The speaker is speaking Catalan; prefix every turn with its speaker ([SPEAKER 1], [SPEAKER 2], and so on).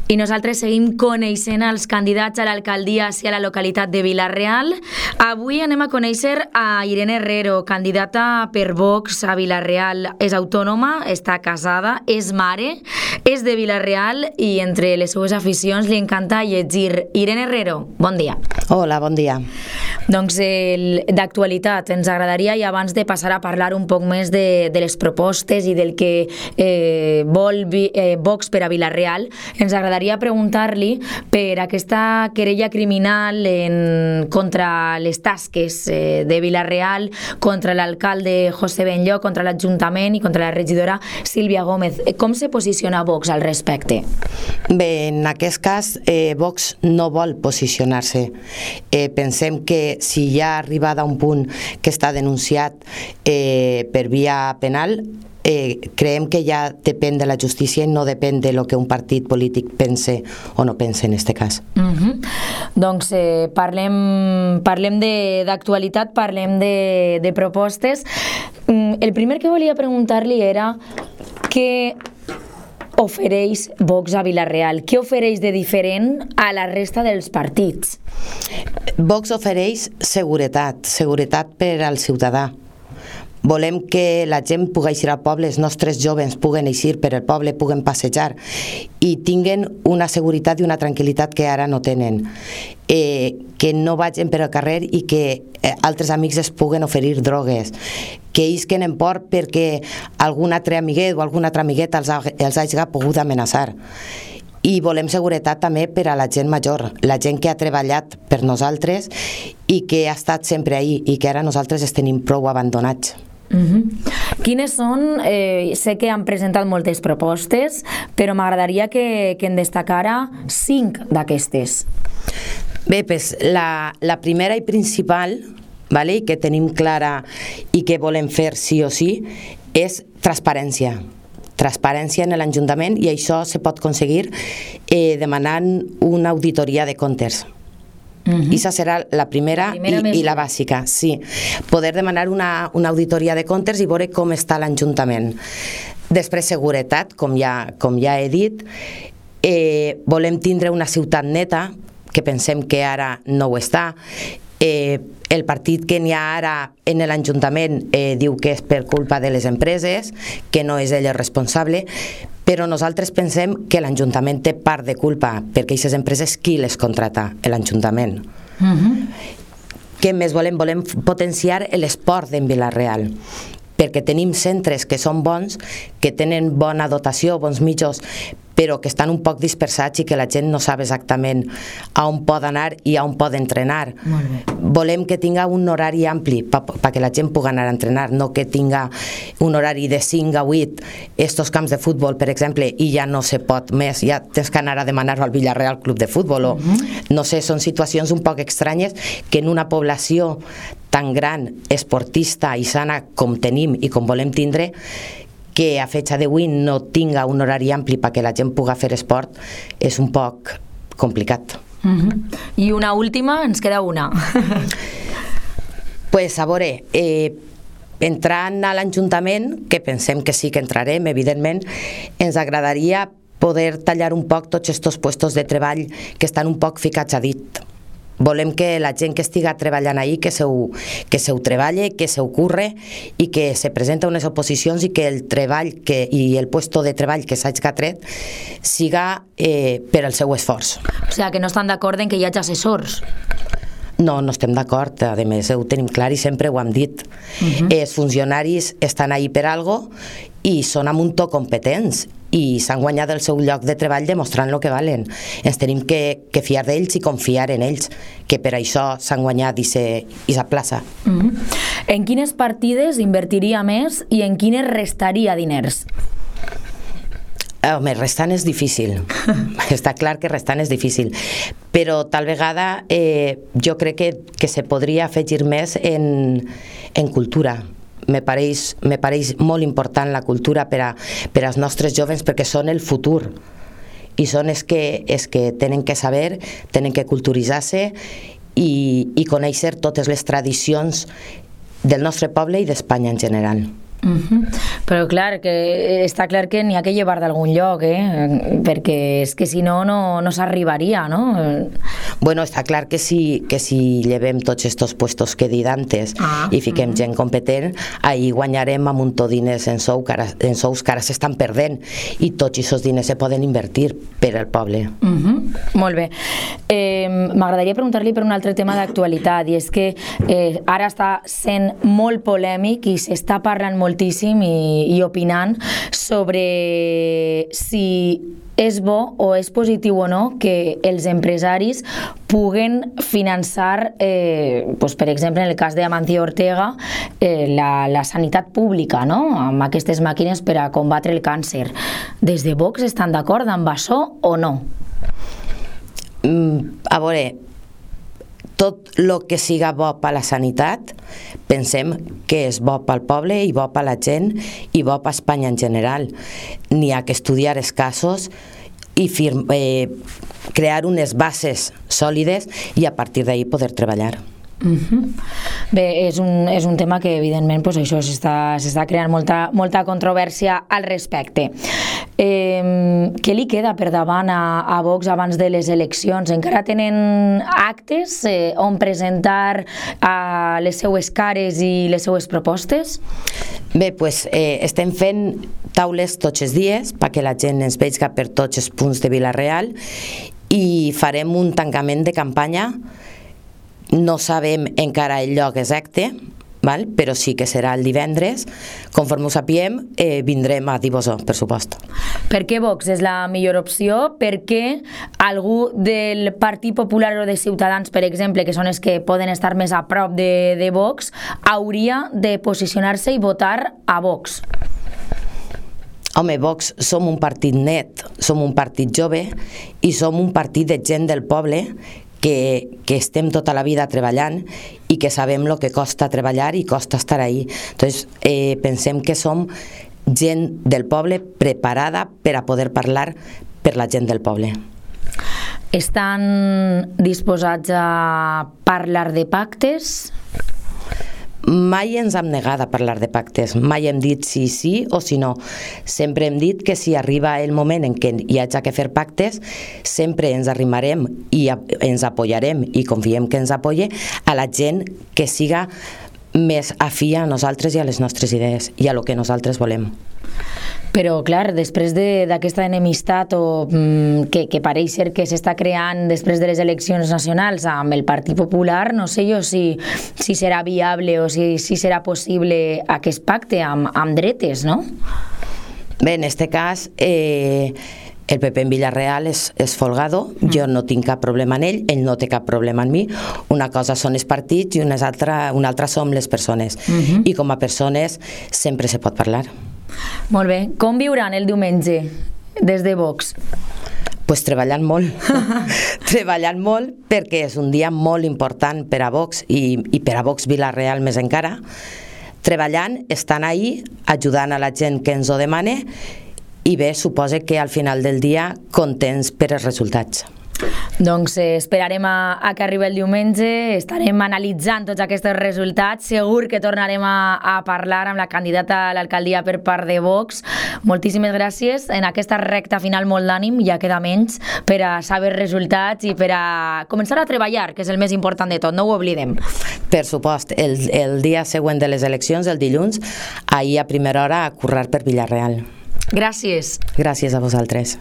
[SPEAKER 1] I nosaltres seguim coneixent els candidats a l'alcaldia i a la localitat de Vila-real. Avui anem a conèixer a Irene Herrero, candidata per Vox a Vila-real. És autònoma, està casada, és mare, és de Vila-real i entre les seues aficions li encanta llegir. Irene Herrero, bon dia.
[SPEAKER 2] Hola, bon dia.
[SPEAKER 1] Doncs d'actualitat, ens agradaria, i abans de passar a parlar un poc més de les propostes i del que vol Vox per a Vila-real, ens agradaria preguntar-li per aquesta querella criminal contra les tasques de Vila-real, contra l'alcalde José Benlloch, contra l'Ajuntament i contra la regidora Sílvia Gómez. Com se posiciona Vox al respecte?
[SPEAKER 2] Bé, en aquest cas, Vox no vol posicionar-se. Pensem que si ja ha arribat a un punt que està denunciat per via penal, creiem que ja depèn de la justícia i no depèn de lo que un partit polític pense o no pense en aquest cas.
[SPEAKER 1] Doncs parlem d'actualitat, parlem de propostes. El primer que volia preguntar-li era què ofereix Vox a Vila-real? Què ofereix de diferent a la resta dels partits?
[SPEAKER 2] Vox ofereix seguretat per al ciutadà. Volem que la gent pugui eixir al poble, els nostres joves puguen eixir per el poble, puguen passejar i tinguen una seguretat i una tranquil·litat que ara no tenen. Que no vagin per al carrer i que altres amics es puguen oferir drogues, que isquen en por perquè algun altre amiguet o alguna altra amigueta els hagi pogut amenaçar. I volem seguretat també per a la gent major, la gent que ha treballat per nosaltres i que ha estat sempre ahí i que ara nosaltres els tenim prou abandonats.
[SPEAKER 1] Quines són? Sé que han presentat moltes propostes, però m'agradaria que en destacara 5 d'aquestes.
[SPEAKER 2] Bé, pues, la primera i principal, vale, que tenim clara i que volem fer sí o sí, és transparència en l'Ajuntament, i això se pot aconseguir demanant una auditoria de comptes. Esa serà la primera i la bàsica, sí. Poder demanar una auditoria de comptes i veure com està l'Ajuntament. Després, seguretat, com ja he dit. Volem tindre una ciutat neta, que pensem que ara no ho està. El partit que n'hi ha ara en l'Ajuntament diu que és per culpa de les empreses, que no és ell el responsable, però nosaltres pensem que l'Ajuntament té part de culpa, perquè aquestes empreses qui les contrata? L'Ajuntament. Què més volem? Volem potenciar l'esport en Vila-real, perquè tenim centres que són bons, que tenen bona dotació, bons mitjans, però que estan un poc dispersats i que la gent no sap exactament a on pot anar i a on pot entrenar. Volem que tinga un horari ampli perquè la gent pugui anar a entrenar, no que tinga un horari de 5 a 8 estos camps de futbol, per exemple, i ja no se pot més, ja tens que anar a demanar-ho al Vila-real Club de Futbol. No sé, són situacions un poc estranyes que en una població tan gran, esportista i sana com tenim i com volem tindre, que a fecha d'avui no tinga un horari ampli perquè la gent pugui fer esport, és un poc complicat.
[SPEAKER 1] I una última, ens queda una.
[SPEAKER 2] Pues a veure, entrant a l'Ajuntament, que pensem que sí que entrarem, evidentment, ens agradaria poder tallar un poc tots aquests puestos de treball que estan un poc ficats a dit. Volem que la gent que estiga treballant ahí, que se ho treballe, que se ho curre i que se presenta unes oposicions i que el treball i el puesto de treball que s'hagi tret siga per al seu esforç.
[SPEAKER 1] O sigui, que no estan d'acord en que hi hagi assessors?
[SPEAKER 2] No estem d'acord, a més ho tenim clar i sempre ho hem dit. Els funcionaris estan ahí per algo i són a muntó competents i s'han guanyat el seu lloc de treball demostrant el que valen. Ens tenim que fiar d'ells i confiar en ells, que per això s'han guanyat aquesta plaça.
[SPEAKER 1] En quines partides invertiria més i en quines restaria diners?
[SPEAKER 2] Home, restant és difícil. Està clar que restant és difícil. Però tal vegada jo crec que se podria afegir més en cultura. Me pareix molt important la cultura per als nostres joves perquè són el futur i són els que tenen que saber, tenen que culturitzar-se i conèixer totes les tradicions del nostre poble i d'Espanya en general.
[SPEAKER 1] Però clar, que està clar que n'hi ha que llevar d'algun lloc, perquè és que si no, no s'arribaria, no?
[SPEAKER 2] Bueno, està clar que si llevem tots estos puestos que he dit antes i fiquem gent competent, ahir guanyarem un muntó diners en sous que ara s'estan perdent, i tots aquests diners se poden invertir per al poble.
[SPEAKER 1] Molt bé. M'agradaria preguntar-li per un altre tema d'actualitat, i és que ara està sent molt polèmic i s'està parlant moltíssim i opinant sobre si és bo o és positiu o no que els empresaris puguen finançar, per exemple, en el cas d'Amancio Ortega, la sanitat pública, no? Amb aquestes màquines per a combatre el càncer. Des de Vox estan d'acord amb això o no?
[SPEAKER 2] A veure, tot el que siga bo per la sanitat pensem que és bo pel poble i bo per la gent i bo per Espanya en general. N'hi ha que estudiar els casos i crear unes bases sòlides i a partir d'ahí poder treballar.
[SPEAKER 1] Bé, és un tema que evidentment això s'està creant molta controvèrsia al respecte. Què li queda per davant a Vox abans de les eleccions? Encara tenen actes on presentar les seues cares i les seues propostes?
[SPEAKER 2] Bé, estem fent taules tots els dies perquè la gent ens vegi per tots els punts de Vila-real i farem un tancament de campanya. No sabem encara el lloc exacte, però sí que serà el divendres. Conforme ho sapiem, vindrem a dir-vos-ho, per supost.
[SPEAKER 1] Per què Vox és la millor opció? Per què algú del Partit Popular o de Ciutadans, per exemple, que són els que poden estar més a prop de Vox, hauria de posicionar-se i votar a Vox?
[SPEAKER 2] Home, Vox som un partit net, som un partit jove i som un partit de gent del poble que estem tota la vida treballant i que sabem el que costa treballar i costa estar ahí. Entonces, pensem que som gent del poble preparada per a poder parlar per la gent del poble.
[SPEAKER 1] Estan disposats a parlar de pactes?
[SPEAKER 2] Mai ens hem negat a parlar de pactes, mai hem dit si sí o si no. Sempre hem dit que si arriba el moment en què hi hagi que fer pactes, sempre ens arrimarem i ens apoyarem i confiem que ens apoye a la gent que siga més afí a nosaltres i a les nostres idees i a lo que nosaltres volem.
[SPEAKER 1] Però, clar, després d'aquesta enemistat que pareix ser que s'està creant després de les eleccions nacionals amb el Partit Popular, no sé jo si serà viable o si serà possible aquest pacte amb dretes, no?
[SPEAKER 2] Bé, en aquest cas, el PP en Vila-real és folgado, jo no tinc cap problema en ell no té cap problema en mi. Una cosa són els partits i una altra som les persones. I com a persones sempre se pot parlar.
[SPEAKER 1] Molt bé. Com viuran el diumenge des de Vox?
[SPEAKER 2] Pues treballant molt. Treballant molt perquè és un dia molt important per a Vox i per a Vox Vila-real més encara. Treballant, estan ahí, ajudant a la gent que ens ho demana i bé, suposa que al final del dia contents per els resultats.
[SPEAKER 1] Doncs esperarem a que arribi el diumenge, estarem analitzant tots aquests resultats, segur que tornarem a parlar amb la candidata a l'alcaldia per part de Vox. Moltíssimes gràcies, en aquesta recta final molt d'ànim, ja queda menys, per a saber resultats i per a començar a treballar, que és el més important de tot, no ho oblidem.
[SPEAKER 2] Per supost, el dia següent de les eleccions, el dilluns, ahir a primera hora a currar per Vila-real.
[SPEAKER 1] Gràcies.
[SPEAKER 2] Gràcies a vosaltres.